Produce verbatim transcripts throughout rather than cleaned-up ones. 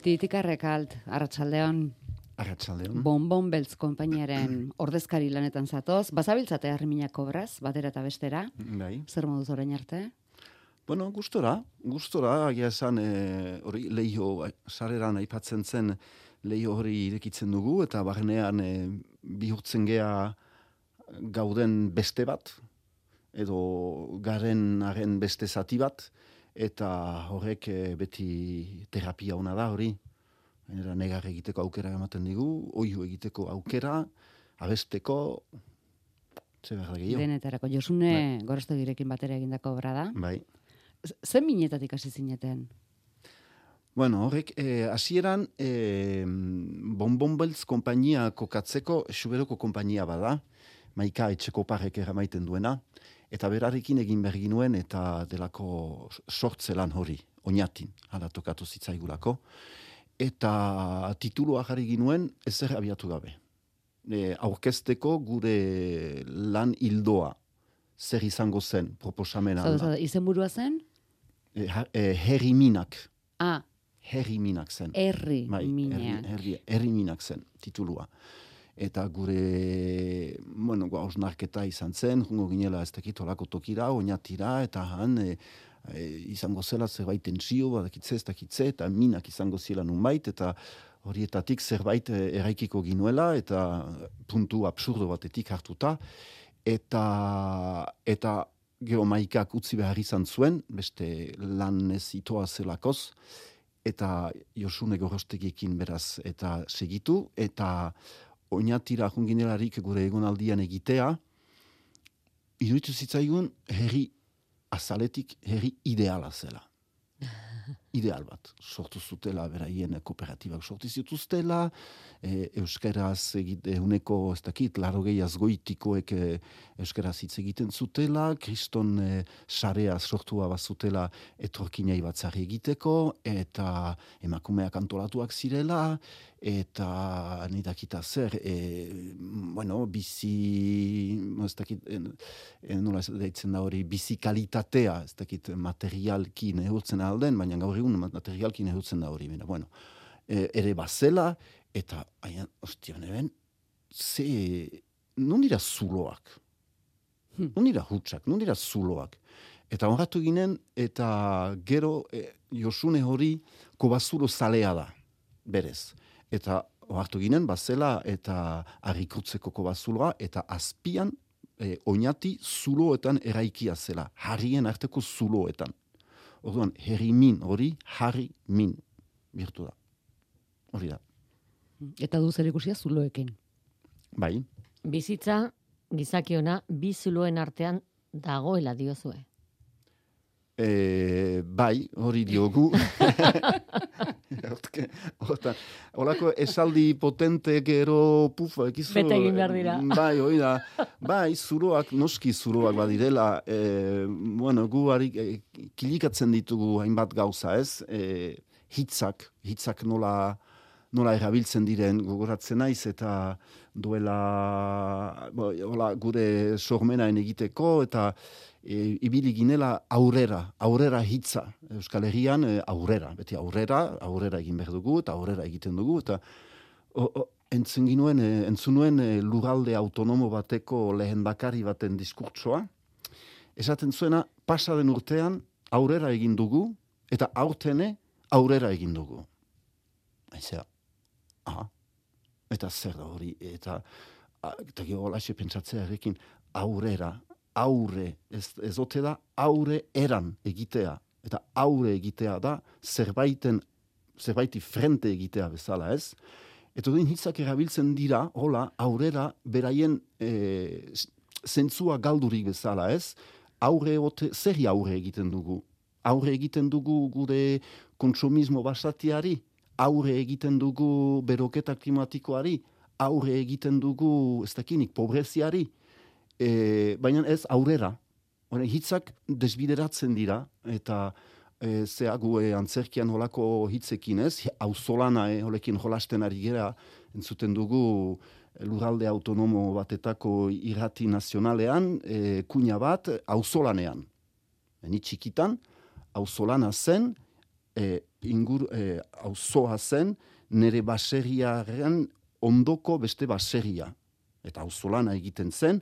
Titikarrek alt, arratsaldeon. Arratsaldeon. Bonbon Beltz konpainiaren ordezkari lanetan zatoz. Bazabiltzate harriminak kobraz, batera eta bestera. Bai. Zer moduz orain arte? Bueno, gustora, gustora, agia esan, hori e, leio, sareran aipatzen zen leio hori irekitzen dugu, eta barnean e, bihurtzen gea gauden beste bat, edo garen haren beste zati bat, eta horrek e, beti terapia ona da hori. Era negar egiteko aukera ematen digu, oihu egiteko aukera, abesteko, ze behar da gehiago. Denetarako, Josune bai. Gorostegirekin batera egindako obra da. Bai. Zen minetatik hasi zineten? Bueno, horrek, hasieran eh, Bonbon Beltz konpainia kokatzeko Xuberoko konpainia bada, Maika etxeko parrek eramaiten duena, eta berarekin egin behar ginuen eta delako sortzelan hori, oinatin, hala tokatu zitzaigulako. Eta titulua jarri ginuen ezer abiatu gabe. E, aurkezteko gure lan hildoa zer izango zen proposamena. Zau, izenburua zen? E, e, herri minak. Ah. Herri minak zen. Herri bai, minak. Herri, herri minak zen titulua. Eta gure, bueno, hausnarketa izan zen, jungo ginela ez dakit olako tokira, oinatira, eta han... E, E, izango zela zerbait tensio, badakitze, ez dakitze, eta minak izango zela nunbait, eta horietatik zerbait eraikiko ginuela, eta puntu absurdo batetik hartuta, eta, eta geomaikak utzi behar izan zuen, beste lan ez itoa zelakoz, eta Josune Gorostegiekin beraz, eta segitu, eta oinatira junginelarik gure egonaldian egitea, iruditu zitzaigun herri azaletik herri ideala zela. Ideal bat. Sortu zutela, beraien kooperatibak sortu zituztela, e, euskaraz egite, uneko, ez dakit, larogei azgoitikoek e, euskaraz hitz egiten zutela, kriston e, sarea sortua bazutela etorkinai batzari egiteko, eta emakumeak antolatuak zirela, eta nidakita zer, e, bueno, bizi, ez dakit, e, nola ez deitzen da hori, bizi kalitatea, ez dakit, materialki neurtzen alden, baina gaur egun materialki nehutzen da hori. Bueno, e, ere bazela, eta, aia, ostia, neben, ze, non dira zuloak? Hmm. Non dira hutsak? Non dira zuloak? Eta honratu ginen, eta gero e, Josune hori kobazuro zalea da, berez. Eta honratu ginen, bazela, eta harrikutzeko kobazuloa, eta azpian e, oinati zuloetan eraikia zela, harrien arteko zuloetan. Orduan, herri min hori, harri min birtu da. Hori da. Eta du zer ikusia zuloekin. Bai. Bizitza, gizakiona, bi zuloen artean dagoela diozue. E, bai, hori diogu. Horako esaldi potente gero pufa, ekizu. Bete egin behar dira. Bai, hori da. Bai, zuloak, noski zuloak badirela. E, bueno, gu harik, e, kilikatzen ditugu hainbat gauza, ez? E, hitzak, hitzak nola, nola erabiltzen diren gogoratzen naiz, eta duela bo, hola, gure sormenaen egiteko, eta E, ibili ginela aurrera, aurrera hitza. Euskal Herrian e, aurrera, beti aurrera, aurrera egin behar dugu, eta aurrera egiten dugu, eta o, o, entzun ginuen, e, entzunuen e, lurralde autonomo bateko lehen bakari baten diskurtsoa, esaten zuena, pasaden urtean aurrera egin dugu, eta aurtene aurrera egin dugu. Ezea, aha, eta zer da hori, eta, eta gero holaxe pentsatzea errekin, aurrera, aurre, ez, ez ote da, aurre eran egitea. Eta aurre egitea da, zerbaiten, zerbaiti frente egitea bezala, ez? Eta duen hitzak erabiltzen dira, hola, aurrera, beraien e, zentzua galdurik bezala, ez? Aurre ote, zerri aurre egiten dugu? Aurre egiten dugu gure kontsumismo basatiari? Aurre egiten dugu beroketa klimatikoari? Aurre egiten dugu, ez dakinik, pobreziari? E, baina ez aurrera. Hore, hitzak desbideratzen dira, eta e, zeagu e, antzerkian holako hitzekin ez, auzolana e, holekin jolasten ari gera, entzuten dugu lurralde autonomo batetako irrati nazionalean, e, kuña bat auzolanean. Ni txikitan, auzolana zen, e, ingur, e, auzoa zen, nire baserriaren ondoko beste baserria. Eta auzolana egiten zen,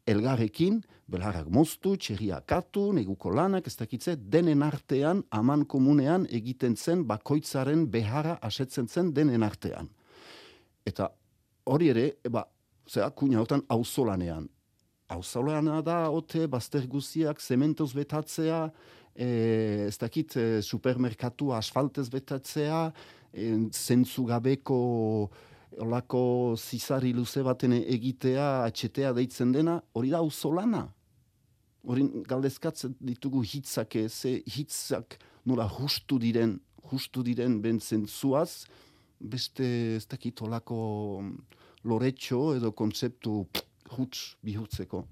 elgarrekin, belharrak moztu, txerria katu, neguko lanak, ez dakitze, denen artean, aman komunean egiten zen, bakoitzaren beharra asetzen zen denen artean. Eta hori ere, eba, zera, kuina hortan auzolanean. Auzolana da, ote, bazter guziak, zementoz betatzea, e, ez dakit, e, supermerkatu asfaltez betatzea, e, zentzu gabeko olako zizari luze baten egitea, atxetea deitzen dena, hori da auzolana. Hori galdezkatzen ditugu hitzak, ze hitzak nola justu diren, justu diren ben zentzuaz, beste ez dakit olako loretxo edo kontzeptu huts bihurtzeko.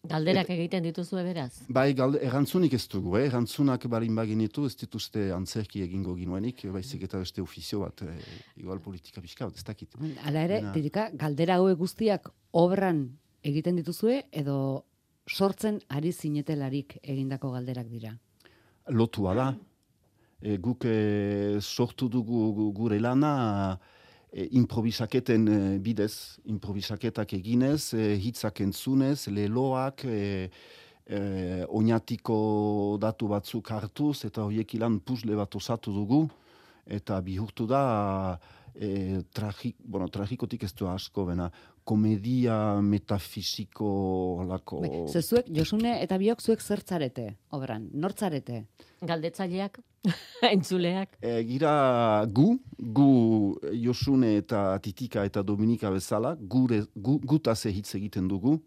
Galderak egiten dituzue beraz? Bai, galde, erantzunik ez dugu, eh? Erantzunak balin baginitu, ez dituzte antzerki egingo ginuenik, baizik eta beste ofizio bat, eh, igual politika pixka bat, ez dakit. Hala ere, Tirika, galdera hauek guztiak obran egiten dituzue, edo sortzen ari zinetelarik egindako galderak dira? Lotua da. E, guk e, sortu dugu gure lana, E, improvisaketen e, bidez, improvisaketak eginez, e, hitzak entzunez, leloak, e, e, oinatiko datu batzuk hartuz, eta horiek ilan puzle bat osatu dugu, eta bihurtu da, e, tragik, bueno, tragikotik ez du asko, bena, komedia metafisiko lako... Zezuek, Josune eta biok zuek zertzarete, obran, nortzarete? Galdetzaileak, entzuleak. E, gira gu, gu Josune eta Titika eta Dominika bezala, gure, gu, gutaz hitz egiten dugu,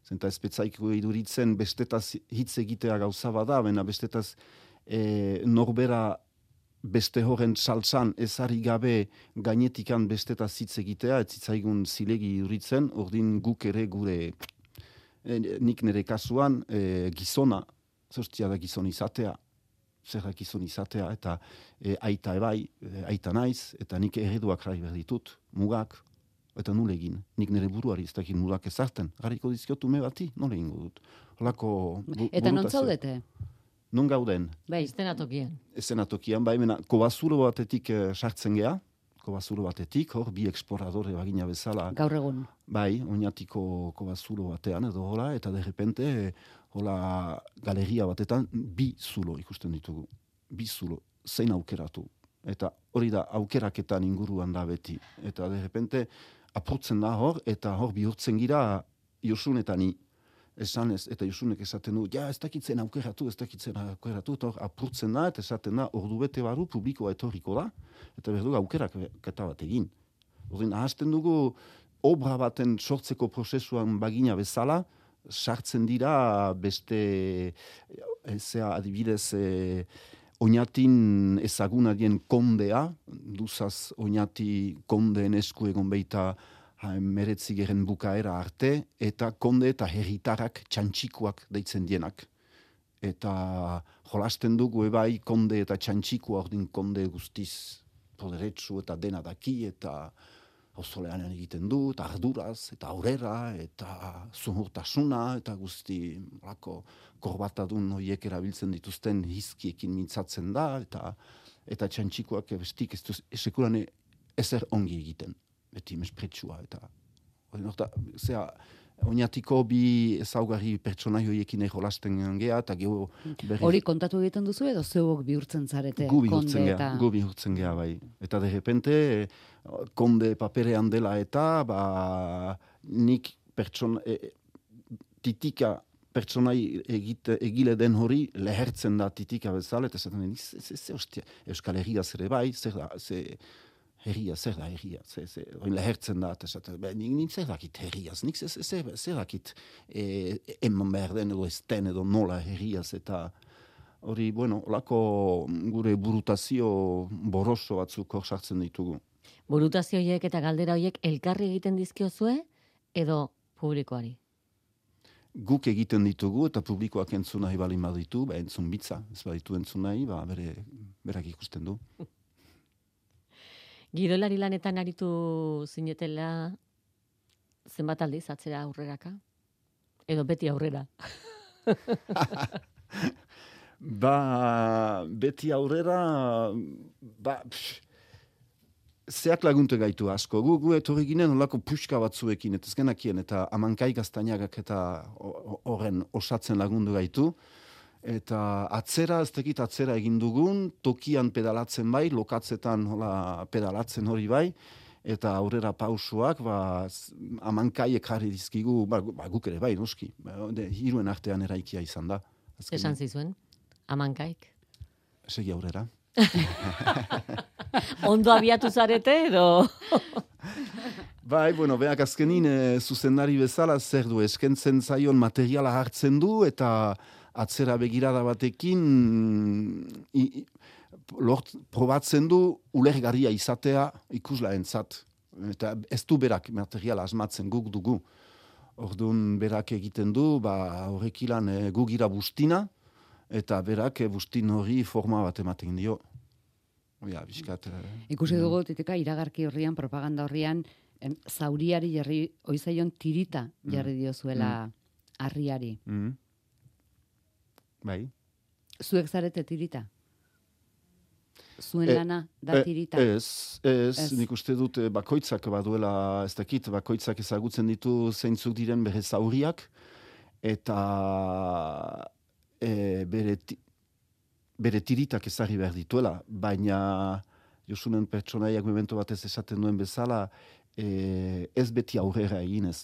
zenta espetzaiko iduritzen bestetaz hitz egitea gauza bada, baina bestetaz e, norbera beste horren saltzan ezari gabe gainetikan bestetaz hitz egitea, ez zitzaigun zilegi iduritzen, ordin guk ere gure, e, nik nire kasuan, e, gizona, zostia da gizon izatea, zer gizon izatea, eta e, aita ebai, e, aita naiz, eta nik ereduak jarri behar ditut, mugak, eta nule egin. Nik nire buruari ez dakit mugak ezarten. Garriko dizkiotu me bati, nole egingo dut. Holako bu, eta non zaudete? Non gauden? Bai, estenatokian. Estenatokian, bai, mena, kobazuro batetik e, sartzen gea, kobazuro batetik, hor, bi exploradore bagina bezala. Gaur egun. Bai, oinatiko kobazuro batean, edo hola, eta derrepente, hola, galeria batetan, bi zulo ikusten ditugu. Bi zulo, zein aukeratu. Eta hori da, aukeraketan inguruan da beti. Eta derrepente, apurtzen da hor, eta hor bihurtzen gira, Josun eta ni. Esan ez, eta Josunek esaten du, ja, ez dakitzen aukeratu, ez dakitzen aukeratu, eta hor apurtzen da, eta esaten da, ordu bete baru publikoa etorriko da, eta berdu aukerak keta bat egin. Ordin, ahazten dugu, obra baten sortzeko prozesuan bagina bezala, sartzen dira beste, ezea adibidez, e, oinatin ezaguna dien kondea, duzaz oinati kondeen esku egon beita meretzigeren bukaera arte, eta konde eta herritarrak txantxikuak deitzen dienak. Eta jolasten dugu ebai konde eta txantxikua ordin konde guztiz poderetsu eta dena daki, eta auzoleanean egiten du, eta arduraz, eta aurrera, eta zuhurtasuna, eta guzti lako korbatadun horiek erabiltzen dituzten hizkiekin mintzatzen da, eta eta txantxikoak bestik ez duz, esekuran ezer ongi egiten, beti mespretsua, eta orta, zera, oinatiko bi ezaugarri pertsonai horiekin jolasten gea, eta geho berri... Hori kontatu egiten duzu edo zeuok bihurtzen zarete? Gu bihurtzen gea, eta... gu bihurtzen gea, bai. Eta de repente, konde paperean dela eta, ba, nik pertsona, e, titika pertsonai egite, egile den hori lehertzen da titika bezala, eta zaten, Euskal Herria zer bai, zer da, zer... Herria, zer da herria, zer, zer, oin lehertzen da, eta zaten, nik, nik zer dakit herriaz, nik zer, zer, zer dakit e, eman behar den edo ez den edo nola herriaz, eta hori, bueno, olako gure burutazio boroso batzuk hor sartzen ditugu. Burutazio horiek eta galdera horiek elkarri egiten dizkiozue edo publikoari? Guk egiten ditugu eta publikoak entzun nahi balin baditu, ba, entzun bitza, ez baditu entzun nahi, ba, bere, berak ikusten du. Gidolari lanetan aritu zinetela zenbat aldiz atzera aurreraka? Edo beti aurrera? Ba, beti aurrera, ba, pff, zeak lagunte gaitu asko. Gu, gu etorri ginen olako puxka batzuekin, eta ezkenakien, eta amankai gaztainagak eta horren osatzen lagundu gaitu. Eta atzera, ez tekit atzera egin dugun, tokian pedalatzen bai, lokatzetan hola, pedalatzen hori bai, eta aurrera pausuak, ba, amankaiek jarri dizkigu, ba, ba, guk ere bai, noski, ba, de, hiruen artean eraikia izan da. Azkenean. Esan zizuen, amankaik. Segi aurrera. Ondo abiatu zarete edo? Bai, bueno, beak azkenin e, zuzendari bezala zer du, eskentzen zaion materiala hartzen du, eta atzera begirada batekin i, i, lort, probatzen du ulergarria izatea ikuslaentzat. Eta ez du berak materiala asmatzen guk dugu. Orduan berak egiten du, ba, horrek ilan e, gugira bustina, eta berak e, bustin hori forma bat ematen dio. Ja, biskat, e, Ikusi dugu, titika, iragarki horrian, propaganda horrian, em, zauriari jarri, oizaion tirita jarri diozuela harriari. Mm. Bai. Zuek zarete tirita? Zuen E, lana da tirita? Ez, ez, Ez. nik uste dut eh, bakoitzak baduela, ez dakit, bakoitzak ezagutzen ditu zeintzuk diren bere zauriak, eta e, bere, ti, bere tiritak ezarri behar dituela, baina Josunen pertsonaiak memento batez esaten duen bezala, e, ez beti aurrera eginez.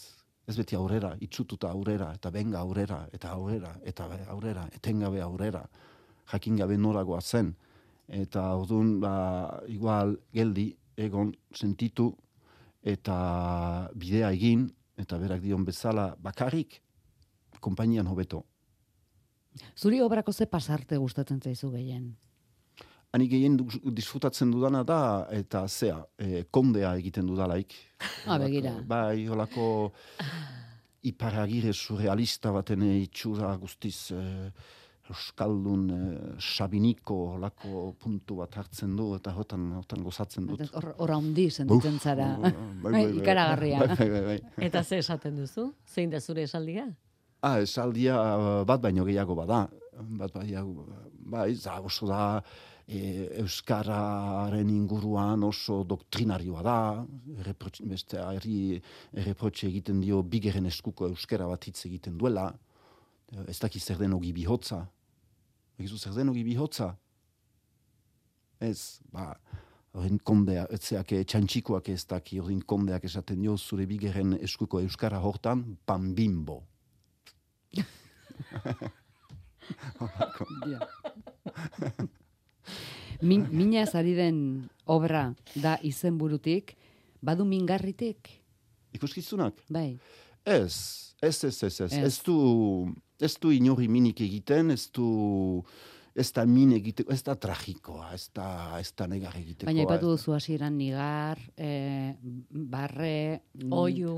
Ez beti aurrera, itxututa aurrera, eta benga aurrera, eta aurrera, eta aurrera, etengabe aurrera, jakingabe noragoa zen. Eta orduan, ba, igual, geldi, egon, sentitu, eta bidea egin, eta berak dion bezala, bakarrik, konpainian hobeto. Zuri obrako ze pasarte gustatzen zaizu gehien? Ani gehien du- disfrutatzen dudana da, eta zea, e, kondea egiten dudalaik. Ah, begira. Bai, holako iparagire surrealista baten itxura guztiz e, euskaldun e, sabiniko holako puntu bat hartzen du, eta hotan, hotan gozatzen dut. Hor hor handi sentitzen Uf, zara. bai, bai, bai. Ikaragarria. Bai, bai, bai. Eta ze esaten duzu? Zein da zure esaldia? Ah, esaldia bat baino gehiago bada. Bat baino, bai, za, oso da, e, euskararen inguruan oso doktrinarioa da, erreprotxe, beste herri erreprotxe egiten dio bigeren eskuko euskara bat hitz egiten duela, ez daki zer den ogi bihotza. Egizu zer den ogi bihotza? Ez, ba, horren kondea, etzeak txantxikoak ez daki, horren kondeak esaten dio zure bigeren eskuko euskara hortan, panbimbo. Ja. Min, mina ari den obra da izenburutik, badu mingarritik? Ikuskizunak? Bai. Ez, ez, ez, ez, ez. Ez. Ez du, ez du inori minik egiten, ez du, ez da min egiteko, ez da tragikoa, ez da, ez da negar egitekoa. Baina ipatu ez da- duzu hasieran nigar, eh, barre, mm, Oiu.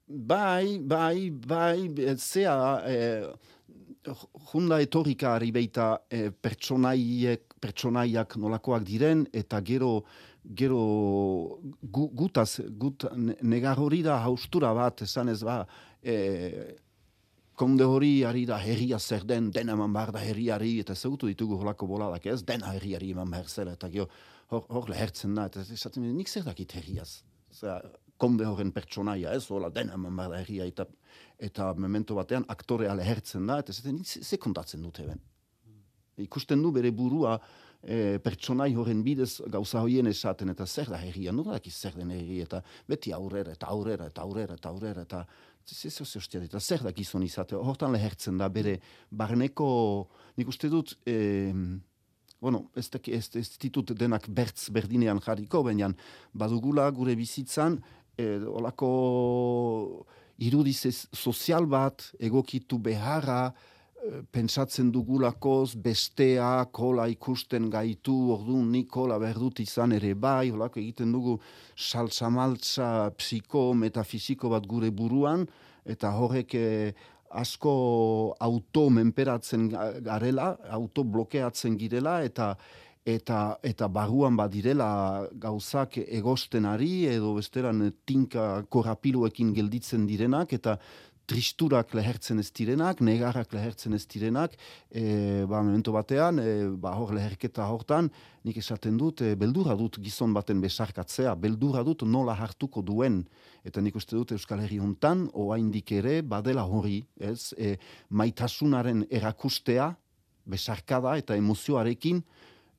Bai, bai, bai, eh, zea, eh, junda etorrikari beita eh, pertsonaiek, pertsonaiak nolakoak diren, eta gero, gero gu, gutaz, gut, ne- negar hori da haustura bat, esan ez ba, eh, konde hori ari da herria zer den, dena eman behar da herriari, eta ezagutu ditugu holako boladak ez, dena herriari eman behar zela, eta gero hor, hor lehertzen da, eta esaten nik zer dakit herriaz. Osea, konde horren pertsonaia, ez, hola, dena eman behar da herria, eta, eta memento batean aktorea lehertzen da, eta esaten nik ze, ze kontatzen dute ben. Ikusten du bere burua e, pertsonai horren bidez gauza hoien esaten, eta zer da herria, nora dakiz zer den herri, eta beti aurrera, eta aurrera, eta aurrera, eta aurrera, eta zer ostia, eta zer da gizon izate, hortan lehertzen da bere barneko, nik uste dut, e, bueno, ez, daki, ez, ez ditut denak bertz berdinean jarriko, baina badugula gure bizitzan, e, olako irudiz ez- sozial bat egokitu beharra, e, pentsatzen dugulakoz, besteak hola ikusten gaitu, orduan nik hola behar dut izan ere bai, holako egiten dugu saltza-maltza psiko, metafisiko bat gure buruan, eta horrek e, asko auto menperatzen ga- garela, auto blokeatzen girela, eta eta eta barruan badirela gauzak egosten ari, edo besteran tinka korapiloekin gelditzen direnak, eta tristurak lehertzen ez direnak, negarrak lehertzen ez direnak, e, ba, memento batean, e, ba, hor leherketa hortan, nik esaten dut, e, beldurra dut gizon baten besarkatzea, beldurra dut nola hartuko duen, eta nik uste dut Euskal Herri hontan, oraindik ere, badela hori, ez, e, maitasunaren erakustea, besarkada eta emozioarekin,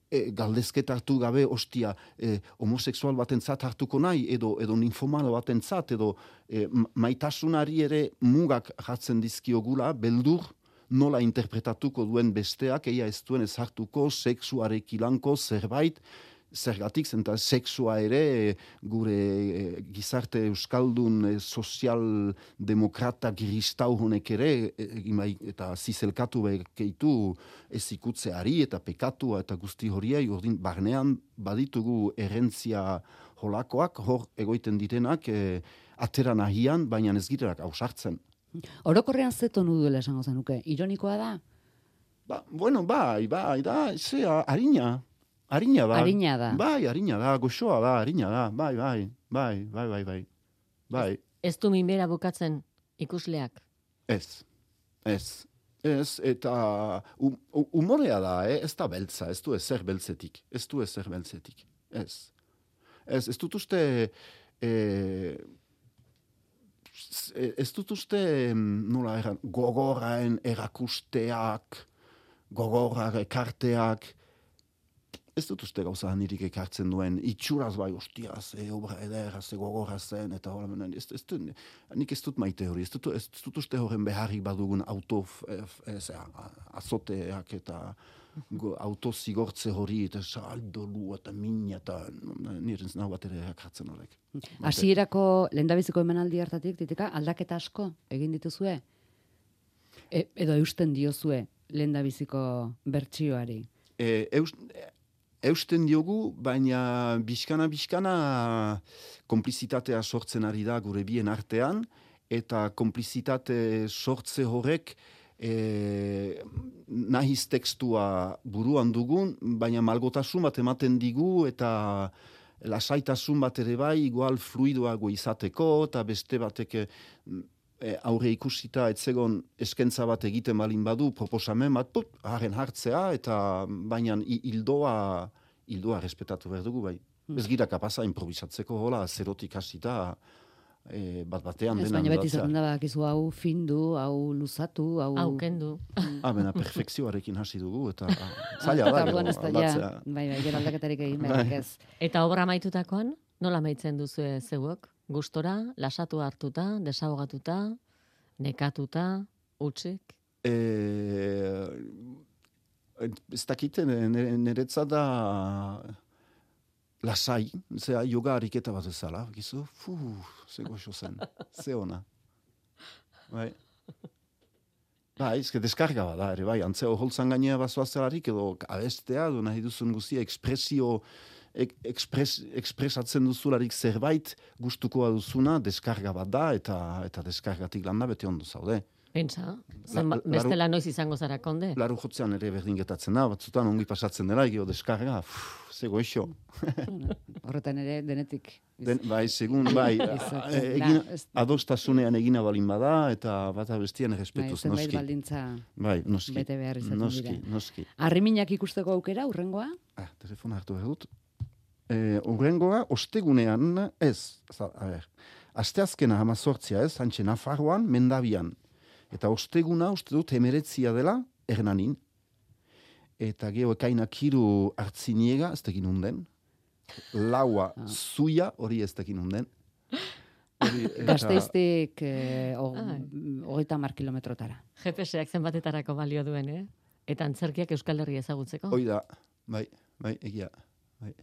E, galdezketa hartu gabe, ostia, e, homoseksual batentzat hartuko nahi, edo, edo ninfomano batentzat, edo e, maitasunari ere mugak jartzen dizkiogula, beldur nola interpretatuko duen besteak, eia ez duen ez hartuko, sexuarekilanko zerbait, zergatik, zenta sexua ere e, gure e, gizarte euskaldun e, sozialdemokrata giristau honek ere e, imai, eta zizelkatu bekeitu ez ikutzeari eta pekatua eta guzti horiei ordin barnean baditugu errentzia holakoak, hor egoiten direnak e, atera nahian, baina ez girerak ausartzen. Orokorrean zeton duela esango zenuke, ironikoa da? Ba, bueno, bai, bai, da, zea, harina. Harina da. Harina da. Bai, harina da, goxoa da, harina da. Bai, bai, bai, bai, bai, bai. Bai. Ez, ez du minbera bukatzen ikusleak? Ez, ez. Ez, eta um, umorea da, eh? Ez da beltza, ez du ezer beltzetik. Ez du ezer beltzetik. Ez. Ez, ez dut uste... Eh, ez dut uste, nola eran, gogorraen erakusteak, gogorrak ekarteak, ez dut uste gauza nirik ekartzen duen, itxuraz bai, ostiaz, e, obra ederaz, e, gogorra zen, eta hola, ez, ez dut, nik ez dut maite hori, ez dut, ez dut uste horren beharrik badugun auto, ez, azoteak eta go, auto zigortze hori, eta saldolu, eta mina, eta nire nahu bat ere ekartzen horrek. Hasierako lehendabiziko emanaldi hartatik, titika, aldaketa asko egin dituzue? E, edo eusten diozue lehendabiziko bertsioari? E, eust, Eusten diogu, baina bizkana-bizkana konplizitatea sortzen ari da gure bien artean, eta konplizitate sortze horrek e, nahiz tekstua buruan dugun, baina malgotasun bat ematen digu, eta lasaitasun bat ere bai, igual fluidoago izateko, eta beste batek e, aurre ikusita etzegon eskentza bat egiten balin badu, proposamen bat, put, haren hartzea, eta baina hildoa, hildoa respetatu behar dugu, bai. Hmm. Ez gira kapaza improvisatzeko, hola, zerotik hasita, e, bat batean ez, dena. Baina beti zaten da, bakizu hau findu, hau luzatu, hau... Hau kendu. Ah, bena, perfekzioarekin hasi dugu, eta zaila da, gero, aldatzea. Bai, bai, gero aldaketarik egin behar, ez. Eta obra maitutakoan, nola maitzen duzu zeuok? Gustora, lasatu hartuta, desahogatuta, nekatuta, utzik? E, ez dakite, niretzat da lasai, zera yoga ariketa bat ezala, gizu, fuh, ze goxo zen, ze ona. Bai. Bai, ezke deskarga bat da, ere bai, antzeo holtzan gainea bazoazelarik, edo abestea, edo nahi duzun guztia, ekspresio, Ekspres, ekspresatzen duzularik zerbait gustukoa duzuna, deskarga bat da, eta eta deskargatik landa bete ondo zaude. Pentsa, la, bestela noiz izango zara konde? Laru jotzean ere berdin getatzen da, batzutan ongi pasatzen dela, egio deskarga, pff, zego eixo. Horretan ere denetik. Den, bai, segun, bai, egin, adostasunean egina balin bada, eta bata bestian errespetuz, bai, noski. Baldintza bai, noski. Bete behar izaten noski, dira. Noski, Arriminak ikusteko aukera, urrengoa? Ah, telefona hartu behar dut. E, urrengoa, ostegunean, ez, a ber, asteazkena hamazortzia ez, hantxe Nafarroan, Mendabian. Eta osteguna, uste dut, emeretzia dela, Hernanin. Eta geho ekainak hiru hartziniega, ez tekin unden. Laua, ah. Zuia, hori ez tekin unden. Eta... Gazteiztik eh, hogeita mar kilometrotara. G P S-ak zenbatetarako balio duen, eh? Eta antzerkiak Euskal Herria ezagutzeko. Hoi da, bai, bai, egia, bai.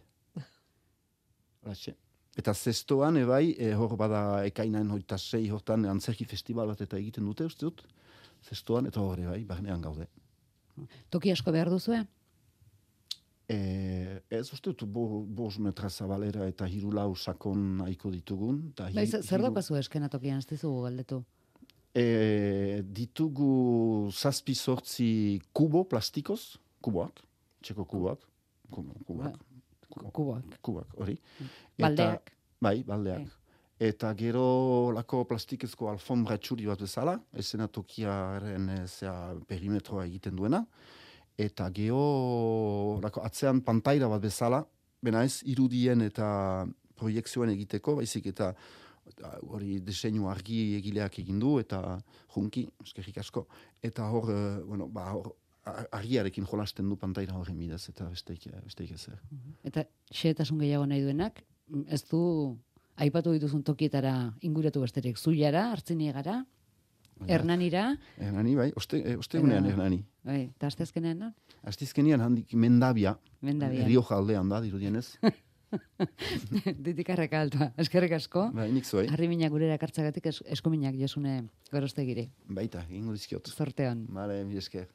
Horatxe. Eta zestoan, ebai, e, hor bada ekainan hoita sei hortan antzerki festival bat eta egiten dute, uste dut. Zestoan, eta hor, ebai, barnean gaude. Toki asko behar duzue? E, ez uste dut, bo, bos metra zabalera eta hiru lau sakon nahiko ditugun. Bai, zer hiru... daukazu eskena tokian, ez dizugu galdetu? E, ditugu zazpi sortzi kubo plastikoz, kuboak, txeko kuboak, kuboak. Kubak. Kubak, hori. Baldeak. Bai, baldeak. eta gero lako plastikezko alfombra txuri bat bezala, eszenatokiaren e, zea perimetroa egiten duena, eta geho lako atzean pantaira bat bezala, bena ez irudien eta proiekzioen egiteko, baizik eta hori diseinu argi egileak egin du, eta junki, eskerrik asko, eta hor, e, bueno, ba, hor, argiarekin jolasten du pantaira horren bidez, eta besteik, besteik ezer. Eta xehetasun gehiago nahi duenak, ez du aipatu dituzun tokietara inguratu besterik, Zuiara, Artziniegara, Hernanira. Hernani, bai, oste, ostegunean Hernani. Bai, eta astezkenean, no? Astezkenean handik Mendabia, Mendabia. Rioja aldean da, dirudienez. Ditikarreka altua, eskerrik asko. Bai, nik zuei. Harriminak gurera kartzagatik es, eskuminak Josune Gorostegiri. Baita, egingo dizkiot. Zorteon. Bale, mi esker.